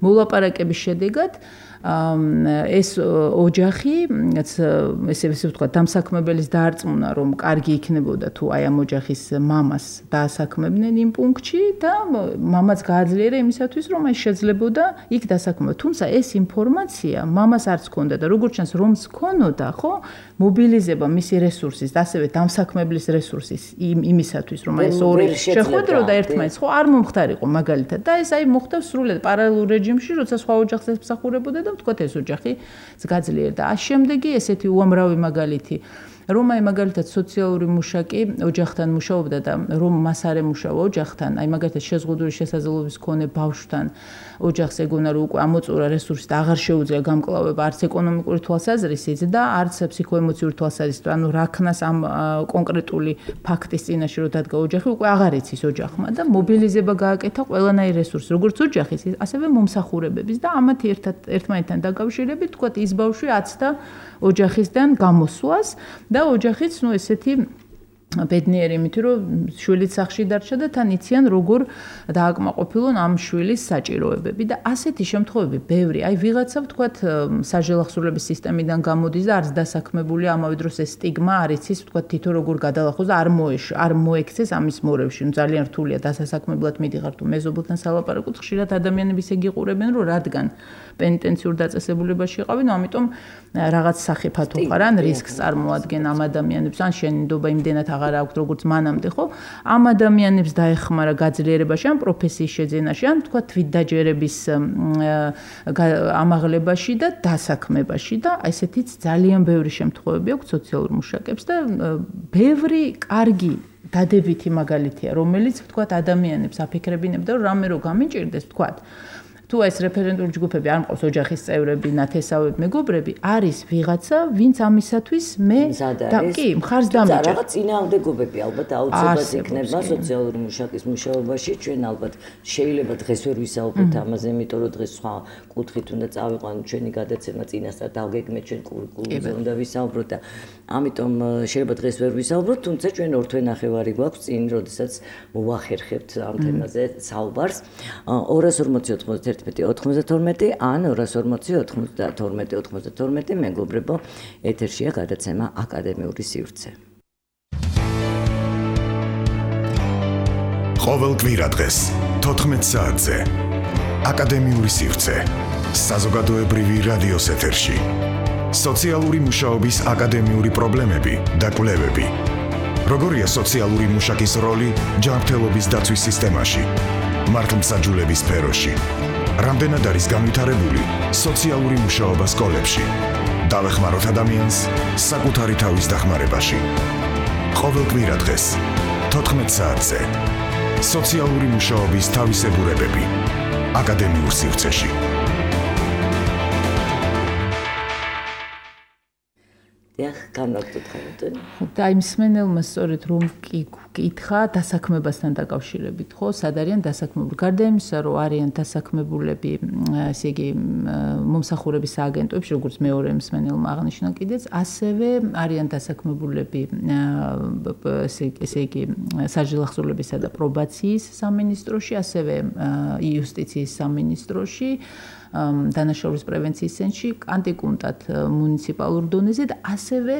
მოლაპარაკების შედეგად ეს ოჯახი ესე ესე ვთქვა დამსაქმებელის დაარწმუნა რომ კარგი იქნებოდა თუ აი ამ ოჯახის მამას დაასაქმებდნენ იმ პუნქტში და მამაც გააძლიერა იმისათვის რომ აი შეძლებოდა იქ დასაქმება თუმცა ეს ინფორმაცია მამას არც ჰქონდა და როგორც ჩანს რომს ჰქონოდა ხო მობილიზება მისი რესურსის და ასევე დამსაქმებლის რესურსის იმისათვის რომ აი ეს ორი შეხვედროდა ერთმანეთს ხო არ მომხდარიყო მაგალითად და ეს აი მოხდა სრულად პარალელურ რეჟიმში როცა სხვა ოჯახს ემსახურებოდა და ვთქვათ ეს ოჯახი გაძლიერდა. ა შემდეგი ესეთი უამრავი მაგალითი რომ აი მაგალითად სოციალური მუშაკი ოჯახთან მუშაობდა და რომ მას არ ემუშავა ოჯახთან, აი მაგალითად შეზღუდული შესაძლებლობის მქონე ბავშვთან ოჯახს ეგონა რომ უკვე ამოწურა რესურსი და აღარ შეუძლია გამკლავება არც ეკონომიკური თვალსაზრისით და არც ფსიქოემოციური თვალსაზრისით, ანუ რა ქნას ამ კონკრეტული ფაქტის წინაშე რომ დადგა ოჯახი უკვე აღარ იცის ოჯახმა და მობილიზება გააკეთა ყველანაირ რესურსს, როგორც ოჯახის, ასევე მომსახურებების და ამათი ერთად ერთმანეთთან დაკავშირებით, თქვათ ის ბავშვი აცდა ოჯახისგან გამოსვლას და ოჯახიც ნუ ესეთი ბედნიერი იმით რომ შვილიც სახში დარჩა და თან იციან როგორ დააკმაყოფილონ ამ შვილის საჭიროებები და ასეთი შემთხვევები ბევრი აი ვიღაცა ვთქვათ საჟელახსოვრების სისტემიდან გამოდის და არც დასაქმებული ამავე დროს ეს სტიგმა არ იცის ვთქვათ თითო როგორ გადალახოს და არ მოეშ არ მოექცეს ამის მორევში ნუ ძალიან რთულია დასასაქმებლად მიდიხარ თუ მეზობელთან სალაპარაკოთ ხშირად ადამიანები ისე გიყურებენ რომ რადგან პენიტენციურ დაწესებულებაში იყავენ ამიტომ რაღაც სახიფათო ხარ ან რისკს წარმოადგენენ ამ ადამიანებს ან შენ ნდობა იმდენად აღარ აქვს როგორც მანამდე ხო ამ ადამიანებს დაეხმარა გაძლიერებაში ან პროფესიის შეძენაში ან თქვა თვითდაჯერების ამაღლებაში და დასაქმებაში და ესეთიც ძალიან ბევრი შემთხვევები აქვს სოციალურ მუშაკებს და ბევრი კარგი დადებითი მაგალითია რომელიც თქვა ადამიანებს აფიქრებინებდა რომ რამე რო გამიჭირდეს თქვა თუ ეს რეფერენტული ჯგუფები არ მყავს ოჯახის წევრები, ნათესავები, მეგობრები, არის ვიღაცა, ვინც ამისათვის მე და კი, მხარს დამეჭერ. რაღაც წინააღმდეგობები ალბათ აუცილებლად იქნება სოციალური მუშაკის მუშაობაში, ჩვენ ალბათ შეიძლება დღეს ვერ ვისაუბროთ ამაზე, იმიტომ რომ დღეს სხვა კუთხით უნდა წავიყვანოთ ჩვენი გადაცემა წინასწარ დავგეგმეთ ჩვენ კურიკულუმზე უნდა ვისაუბროთ და ამიტომ შეიძლება დღეს ვერ ვისაუბროთ, თუმცა ჩვენ ორ თვე ნახევარი გვაქვს წინ, როდესაც მოვახერხებთ ამ თემაზე საუბარს. ორას ორმოცი ოცდაერთი ოცდათორმეტი ან ორას ორმოცი ოცდათორმეტი ოცდათორმეტი მეგობრებო ეთერშია გადაცემა აკადემიური სივრცე. ყოველ კვირა დღეს თოთხმეტ საათზე აკადემიური სივრცე საზოგადოებრივი რადიოს ეთერში. სოციალური მუშაობის აკადემიური პრობლემები და კვლევები. როგორია სოციალური მუშაკის როლი ჯანმრთელობის დაცვის სისტემაში? მართლმსაჯულების სფეროში. რამდენად არის განვითარებული სოციალური მუშაობა სკოლებში? დავეხმაროთ ადამიანს საკუთარი თავის დახმარებაში. ყოველ კვირა დღეს თოთხმეტ საათზე სოციალური მუშაობის თავისებურებები აკადემიურ სივრცეში. დიახ, განვაგრძელოთ. და იმ მსმენელმა სწორედ რომ კითხა დასაქმებასთან დაკავშირებით, ხო, სად არიან დასაქმებული? გარდა იმისა, რომ არიან დასაქმებულები, ესე იგი, მომსახურების სააგენტოებში, როგორც მეორე მსმენელმა აღნიშნა კიდეც, ასევე არიან დასაქმებულები, ესე იგი, საჯილახსოვრლებისა და პრობაციის სამინისტროში, ასევე იუსტიციის სამინისტროში, დანაშაულის პრევენციის ცენტრში, კანტიკუნტად მუნიციპალურ დონეზე და ასევე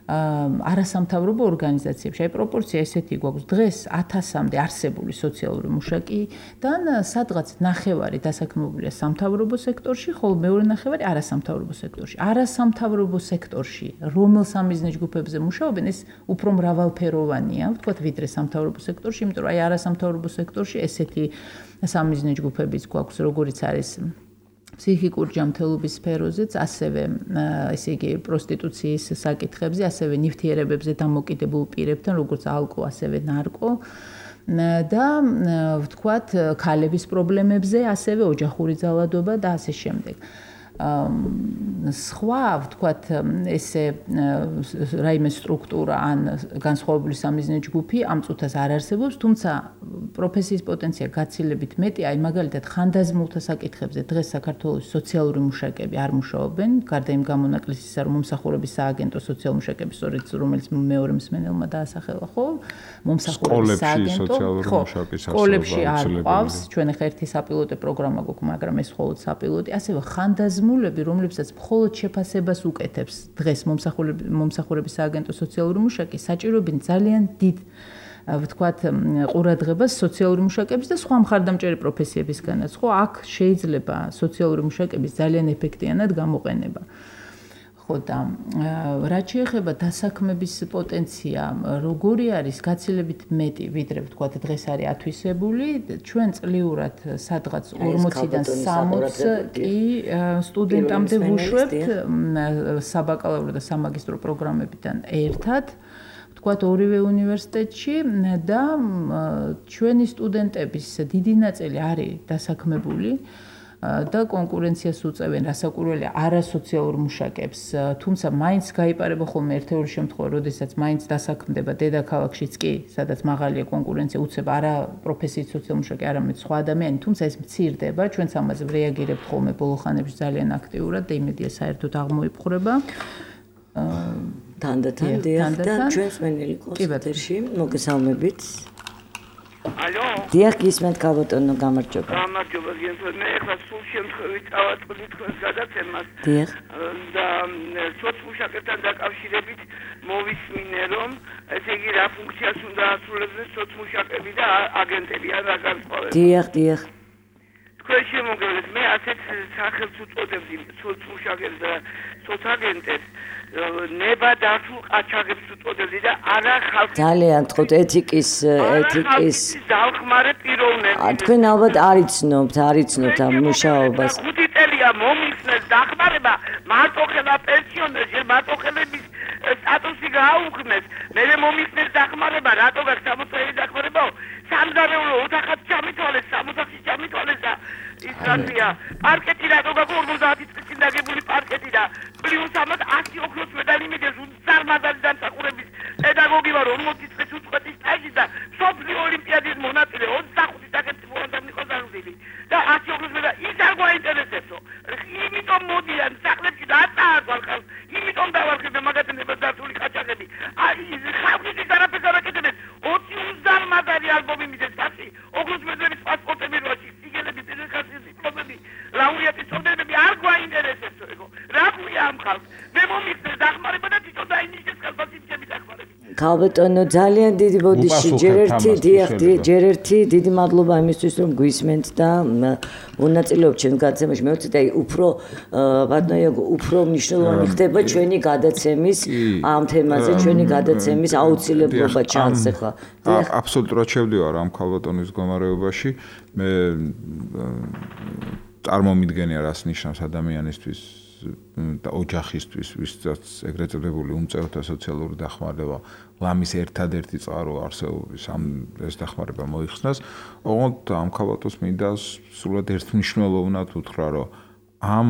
არასამთავრობო ორგანიზაციებში. აი პროპორცია ესეთი გვაქვს დღეს ათასამდე არსებული სოციალური მუშაკიდან სადღაც ნახევარი დასაქმებულია სამთავრობო სექტორში, ხოლო მეორე ნახევარი არასამთავრობო სექტორში. არასამთავრობო სექტორში რომელ სამიზნე ჯგუფებზე მუშაობენ, ეს უფრო მრავალფეროვანია, ვთქვათ, ვიდრე სამთავრობო სექტორში, იმიტომ რომ აი არასამთავრობო სექტორში ესეთი სამიზნე ჯგუფებიც გვაქვს, როგორიც არის ფსიქიკურ ჯანმრთელობის სფეროზეც, ასევე ესე იგი პროსტიტუციის საკითხებზე, ასევე ნივთიერებებზე დამოკიდებულ პირებთან, როგორც ალკო, ასევე ნარკო და ვთქვათ, ქალების პრობლემებზე, ასევე ოჯახური ძალადობა და ასე შემდეგ. სხვა, ვთქვათ, ესე რაიმე სტრუქტურა ან განსხვავებული სამიზნე ჯგუფი ამ წუთას არ არსებობს, თუმცა პროფესიის პოტენცია გაცილებით მეტი, აი მაგალითად ხანდაზმულთა საკითხებზე დღეს საქართველოს სოციალური მუშაკები არ მუშაობენ, გარდა იმ გამონაკლისისა, რომ მომსახურების სააგენტო სოციალური მუშაკები, სწორედ რომელიც მეორე მსმენელმა დაასახელა, ხო? მომსახურების სააგენტო, ხო, სკოლებში არ ყავს, ჩვენ ახლა ერთი საპილოტო პროგრამა გვაქვს, მაგრამ ეს მხოლოდ საპილოტი, ასევე ხანდაზმულები, რომლებსაც მხოლოდ შეფასებას უკეთებს დღეს მომსახურების სააგენტო სოციალური მუშაკი, საჭიროებენ ძალიან დიდ ვთქვათ, ყურადღებას სოციალური მუშაკების და სხვა მხარდამჭერი პროფესიებისგანაც, ხო, აქ შეიძლება სოციალური მუშაკების ძალიან ეფექტიანად გამოყენება. ხო და რაც შეეხება დასაქმების პოტენცია, როგორი არის გაცილებით მეტი, ვიდრე ვთქვათ, დღეს არის ათვისებული, ჩვენ წლიურად სადღაც ორმოციდან სამოცს კი სტუდენტამდე ვუშვებთ საბაკალავრო და სამაგისტრო პროგრამებიდან ერთად. ვთქვათ, ორივე უნივერსიტეტში და ჩვენი სტუდენტების დიდი ნაწილი არის დასაქმებული და კონკურენციას უწევენ რასაკვირველია არასოციალურ მუშაკებს, თუმცა მაინც გაიპარება ხოლმე ერთ-ერთი შემთხვევა, როდესაც მაინც დასაქმდება დედაქალაქშიც კი, სადაც მაღალია კონკურენცია, უწევ არა პროფესიით სოციალურ მუშაკი, არამედ სხვა ადამიანი, თუმცა ეს მცირდება, ჩვენც ამაზე რეაგირებთ ხოლმე ბოლო ხანებში ძალიან აქტიურად და იმედია საერთოდ აღმოიფხვრება. თანდათან დიახ და ჩვენს მენელი კონსულტერში მოგესალმებით. ალო. დიახ, გისმენთ ქალბატონო, გამარჯობა. გამარჯობა, გიენთო, მე ახლა სულ შემთხვევით წავატყდი თქვენს გადაცემას. დიახ. და სოციმუშაკებთან დაკავშირებით მოვისმინე, რომ ესე იგი რა ფუნქციას უნდა ასრულებდნენ სოციმუშაკები და აგენტები, ან რა განსხვავება. დიახ, დიახ. თქვენ შემოგევლეთ, მე ასეთ სახელს უწოდებდი სოციმუშაკებს და სოცაგენტებს. ნება დართულ ყაჩაღებს უწოდებდი და არა ხალხის ძალიან თქოთ ეთიკის ეთიკის დახმარე პიროვნები. თქვენ ალბათ არიცნობთ, არიცნობთ ამ მუშაობას. ხუთი წელია მომიხსნეს დახმარება მარტო ხელა პენსიონერში, მარტო ხელების სტატუსი გააუქმეს. მე მომიხსნეს დახმარება, რატო გაქვს სამოცდაერი დახმარება? სამზარეულო ოთახად ჩამითვალეს, სამოთახში ჩამითვალეს და ის რატია? პარკეტი რატო გაქვს ორმოცდაათი წლის დაგებული პარკეტი და პლუს ამას ათი ოქროს მედალი მიგეს უცარმადალი დამსახურების პედაგოგი ვარ ორმოცი წლის უწყვეტი სტაჟი და სოფლიო ოლიმპიადის მონაწილე ოცდახუთი საკითხი მოანდამი ყოზარდილი და ათი ოქროს მედალი ის არ გვაინტერესებსო. იმიტომ მოდიან სახლებში და აწააგვარ ხალხს, იმიტომ დავარქებენ მაგათნებას დართული ყაჩაღები. აი ხალხის არაფერს არ აკეთებენ. ოცი უცარმადალი ალბომი მიგეს პასი, ოქროს მედალის პასპორტები როაში, სიგელები, დედაქალაქის დიპლომები, ლაურეატის წოდებები არ გვაინტერესებსო ეგო. რა ქვია ამ ხალხს? მე მომიხსნეს დახმარება და თვითონ დაინიშნეს კალბასიჩები დახმარება. ქალბატონო, ძალიან დიდი ბოდიში, ჯერ ერთი, დიახ, ჯერ ერთი, დიდი მადლობა იმისთვის, რომ გვისმენთ და მონაწილეობთ ჩემს გადაცემაში. მე ვთქვი, აი, უფრო ბატონო, უფრო მნიშვნელოვანი ხდება ჩვენი გადაცემის ამ თემაზე, ჩვენი გადაცემის აუცილებლობა ჩანს ახლა. აბსოლუტურად შევდივარ ამ ქალბატონის მდგომარეობაში. მე წარმომიდგენია რას ნიშნავს ადამიანისთვის და ოჯახისთვის, ვისაც ეგრეთ წოდებული უმწევრთა სოციალური დახმარება, ლამის ერთადერთი წყარო არსებობის ამ ეს დახმარება მოიხსნას. ოღონდ ამ ქალბატონს მინდა სულად ერთმნიშვნელოვნად უთხრა, რომ ამ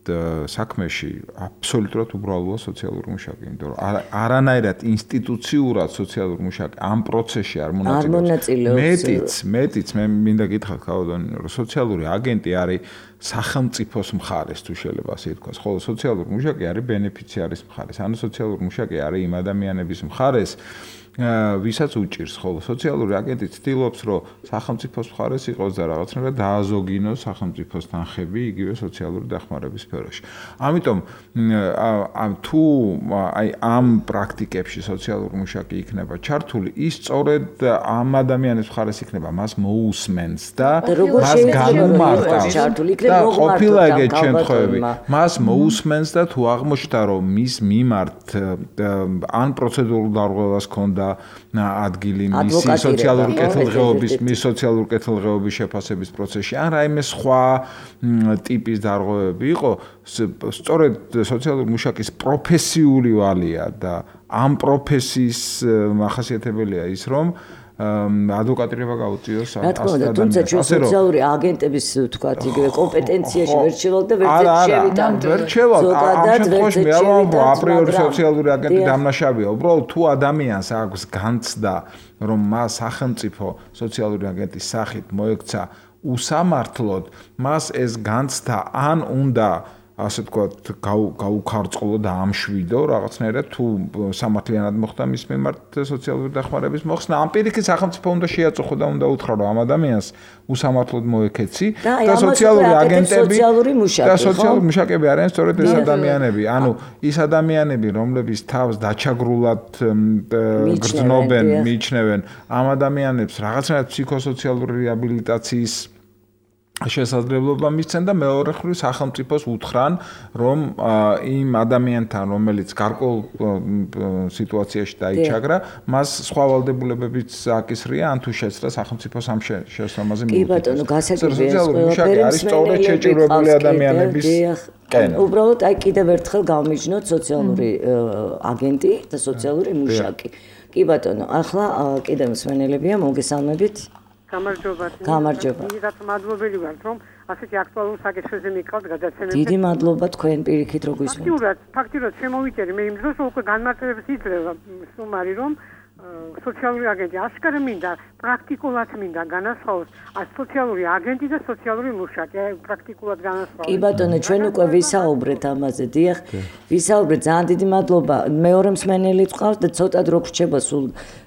საქმეში აბსოლუტურად უბრალოა სოციალური მუშაკი, იმიტომ რომ არანაირად ინსტიტუციურად სოციალური მუშაკი ამ პროცესში არ მონაწილეობს. მეტიც, მეტიც მე მინდა გითხრათ ქალბატონი, რომ სოციალური აგენტი არის სახელმწიფოს მხარეს, თუ შეიძლება ასე ითქვას, ხოლო სოციალური მუშაკი არის ბენეფიციარის მხარეს. ანუ სოციალური მუშაკი არის იმ ადამიანების მხარეს, ვისაც უჭირს, ხოლო სოციალური აგენტი ცდილობს, რომ სახელმწიფოს მხარეს იყოს და რაღაცნაირად დააზოგინოს სახელმწიფოს თანხები იგივე სოციალური დახმარების სფეროში. ამიტომ თუ აი ამ პრაქტიკებში სოციალური მუშაკი იქნება ჩართული, ის სწორედ ამ ადამიანის მხარეს იქნება, მას მოусმენს და მას განუმარტავს. და ყოფილა ეგეთ შემთხვევები, მას მოусმენს და თუ აღმოჩნდა, რომ მის მიმართ ან პროცედურულ დარღვევას ჰქონდა ადგილი მისი სოციალური კეთილდღეობის, მის სოციალური კეთილდღეობის შეფასების პროცესში, ან რაიმე სხვა ტიპის დარღვევები იყო, სწორედ სოციალური მუშაკის პროფესიული ვალია და ამ პროფესიის მახასიათებელია ის, რომ ადვოკატირება გაუწიოს რა თქმა უნდა, თუმცა ჩვენ სოციალური აგენტების თქვათ იგივე კომპეტენციაში ვერ შევალთ და ვერც შევიტანთ. ვერ შევალთ. ამ შემთხვევაში მე არ ვამბობ აპრიორი სოციალური აგენტი დამნაშავეა. უბრალოდ თუ ადამიანს აქვს განცდა, რომ მას სახელმწიფო სოციალური აგენტის სახით მოექცა უსამართლოდ, მას ეს განცდა ან უნდა ასე ვთქვათ, გაუქარწყლო და ამშვიდო რაღაცნაირად თუ სამართლიანად მოხდა მის მიმართ სოციალური დახმარების მოხსნა. ამ პირიქით სახელმწიფო უნდა შეაწუხო და უნდა უთხრა, რომ ამ ადამიანს უსამართლოდ მოექეცი და სოციალური აგენტები და სოციალური მუშაკები არიან სწორედ ეს ადამიანები. ანუ ის ადამიანები, რომლებიც თავს დაჩაგრულად გრძნობენ, მიიჩნევენ ამ ადამიანებს რაღაცნაირად ფსიქოსოციალური რეაბილიტაციის შესაძლებლობა მისცენ და მეორე მხრივ სახელმწიფოს უთხრან, რომ იმ ადამიანთან, რომელიც გარკვეულ სიტუაციაში დაიჩაგრა, მას სხვა ვალდებულებებიც აკისრია, ან თუ შეცდა სახელმწიფოს ამ შესაბამაზე მიუთითოს. კი ბატონო, გასაგებია ეს ყველაფერი არის სწორედ შეჭირვებული ადამიანების კენა. უბრალოდ აი კიდევ ერთხელ გავმიჯნოთ სოციალური აგენტი და სოციალური მუშაკი. კი ბატონო, ახლა კიდევ მსმენელებია, მოგესალმებით. გამარჯობა. გამარჯობა. დიდად მადლობელი ვართ, რომ ასეთი აქტუალურ საკითხებზე მიყავთ გადაცემებზე. დიდი მადლობა თქვენ პირიქით რო გვისმენთ. ფაქტურად, ფაქტურად შემოვიჭერი მე იმ დროს უკვე განმარტებებს იძლევა სტუმარი, რომ სოციალური აგენტი ასკარ მინდა, პრაქტიკულად მინდა განასხვავოს სოციალური აგენტი და სოციალური მუშაკი, პრაქტიკულად განასხვავოს. კი ბატონო, ჩვენ უკვე ვისაუბრეთ ამაზე, დიახ. ვისაუბრეთ, ძალიან დიდი მადლობა. მეორე მსმენელი გყავს და ცოტად რო გრჩება სულ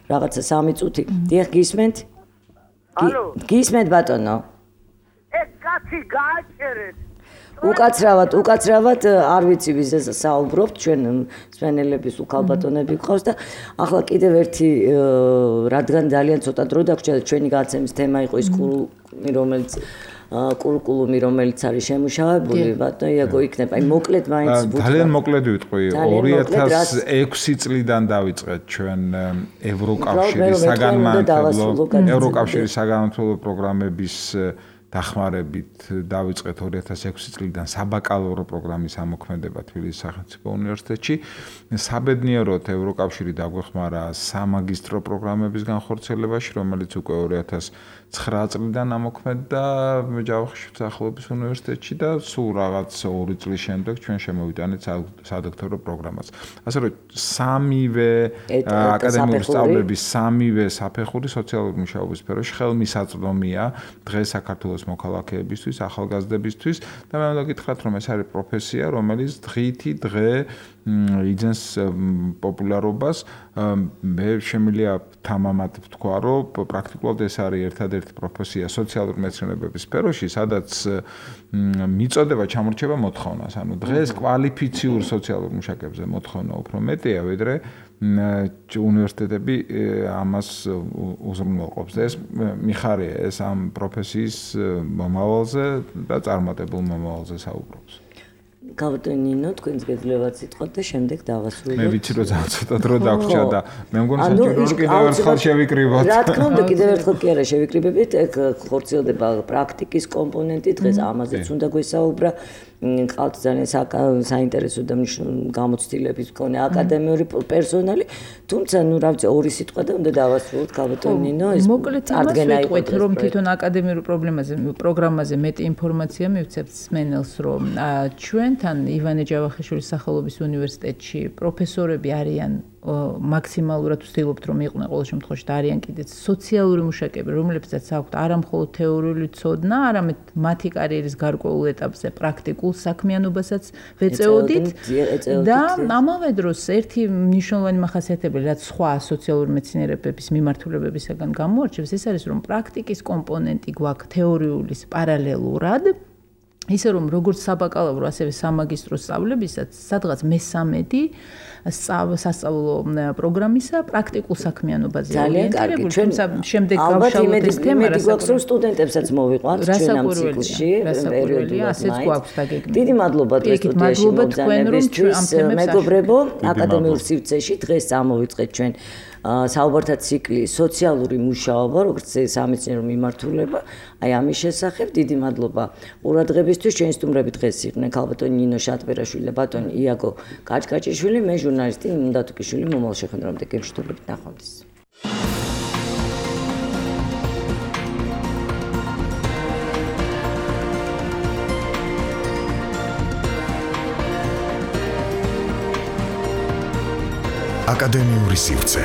რაღაცა სამი წუთი. დიახ, გისმენთ? ალო გისმენთ ბატონო? ეს კაცი გააჩერეთ. უკაცრავად, უკაცრავად არ ვიცი ვიზე საუბრობთ, ჩვენ მსმენელების უკალბატონები გყავს და ახლა კიდევ ერთი რადგან ძალიან ცოტა დრო დაგვრჩა ჩვენი გაცემის თემა იყო ის კურკულუმი, რომელიც კურკულუმი, რომელიც არის შემუშავებული, ბატონო იაგო იქნება. აი მოკლედ მაინც ძალიან მოკლედ ვიტყვი, ორი ათას ექვსი წლიდან დავიწყეთ ჩვენ ევროკავშირის საგანმანათლებლო ევროკავშირის საგანმანათლებლო პროგრამების დახმარებით დავიწყეთ ორი ათას ექვსი წლიდან საბაკალავრო პროგრამის ამოქმედება თბილისის სახელმწიფო უნივერსიტეტში. საბედნიეროდ ევროკავშირი დაგვეხმარა სამაგისტრო პროგრამების განხორციელებაში, რომელიც უკვე ორი ათას ცხრა წლიდან ამოქმედდა ჯავახიშვილის სახელობის უნივერსიტეტში და სულ რაღაც ორი წლის შემდეგ ჩვენ შემოვიტანეთ სადოქტორო პროგრამას. ასე რომ სამივე აკადემიური სწავლების სამივე საფეხური სოციალური მუშაობის სფეროში ხელმისაწვდომია დღეს საქართველოს მოქალაქეებისთვის, ახალგაზრდებისთვის და მე უნდა გითხრათ, რომ ეს არის პროფესია, რომელიც დღითი დღე იძენს პოპულარობას. მე შემიძლია თამამად ვთქვა, რომ პრაქტიკულად ეს არის ერთადერთი პროფესია სოციალური მეცნიერებების სფეროში, სადაც მიწოდება ჩამორჩება მოთხოვნას. ანუ დღეს კვალიფიციურ სოციალურ მუშაკებზე მოთხოვნა უფრო მეტია, ვიდრე უნივერსიტეტები ამას უზრუნველყოფს. ეს მიხარია, ეს ამ პროფესიის მომავალზე და წარმატებულ მომავალზე საუბრობს. გავტენინო თქვენს გეძლებათ სიტყვათ და შემდეგ დავასრულოთ. მე ვიცი რომ ძალიან ცოტა დრო დაგვრჩა და მე მგონი საჭირო რომ კიდევ ერთხელ შევიკრიბოთ. რა თქმა უნდა, კიდევ ერთხელ კი არა შევიკრიბებით, ეგ ხორციელდება პრაქტიკის კომპონენტი, დღეს ამაზეც უნდა გვესაუბრა. ყავთ ძალიან საინტერესო და მნიშვნელოვანი გამოცდილების მქონე აკადემიური პერსონალი, თუმცა ნუ რა ვიცი, ორი სიტყვა და უნდა დავასრულოთ ქალბატონ ნინო, ეს მოკლედ იმას ვიტყვით, რომ თვითონ აკადემიურ პრობლემაზე, პროგრამაზე მეტი ინფორმაცია მივცემთ სმენელს, რომ ჩვენთან ივანე ჯავახიშვილის სახელობის უნივერსიტეტში პროფესორები არიან მაქსიმალურად ვცდილობთ რომ იყვნენ ყოველ შემთხვევაში და არიან კიდეც სოციალური მუშაკები, რომლებსაც აქვთ არა მხოლოდ თეორიული ცოდნა, არამედ მათი კარიერის გარკვეულ ეტაპზე პრაქტიკულ საქმიანობასაც ვეწეოდით და ამავე დროს ერთი მნიშვნელოვანი მახასიათებელი, რაც სხვა სოციალური მეცნიერებების მიმართულებებისგან გამოარჩევს, ეს არის რომ პრაქტიკის კომპონენტი გვაქვს თეორიულის პარალელურად. ისე რომ როგორც საბაკალავრო, ასევე სამაგისტრო სწავლებისაც სადღაც მესამედი სასწავლო პროგრამისა პრაქტიკულ საქმიანობაზე ორიენტირებული, თუმცა შემდეგ გავშალოთ ეს თემა, რასაც გვაქვს რომ სტუდენტებსაც მოვიყვანთ ჩვენ ამ ციკლში, პერიოდულად ასეც გვაქვს დაგეგმილი. დიდი მადლობა დღეს სტუდიაში მოგზაურობისთვის, მეგობრებო, აკადემიურ სივრცეში დღეს ამოვიწყეთ ჩვენ საუბართა ციკლი სოციალური მუშაობა, როგორც სამეცნიერო მიმართულება, აი ამის შესახებ დიდი მადლობა ყურადღებისთვის. ჩვენი სტუმრები დღეს იყვნენ ქალბატონი ნინო შატბერაშვილი და ბატონი იაგო კაჭკაჭიშვილი, მე ჟურნალისტი ნინო დათუკიშვილი. მომავალ შეხვედრამდე გემშვიდობებით, ნახვამდის. აკადემიური სივრცე.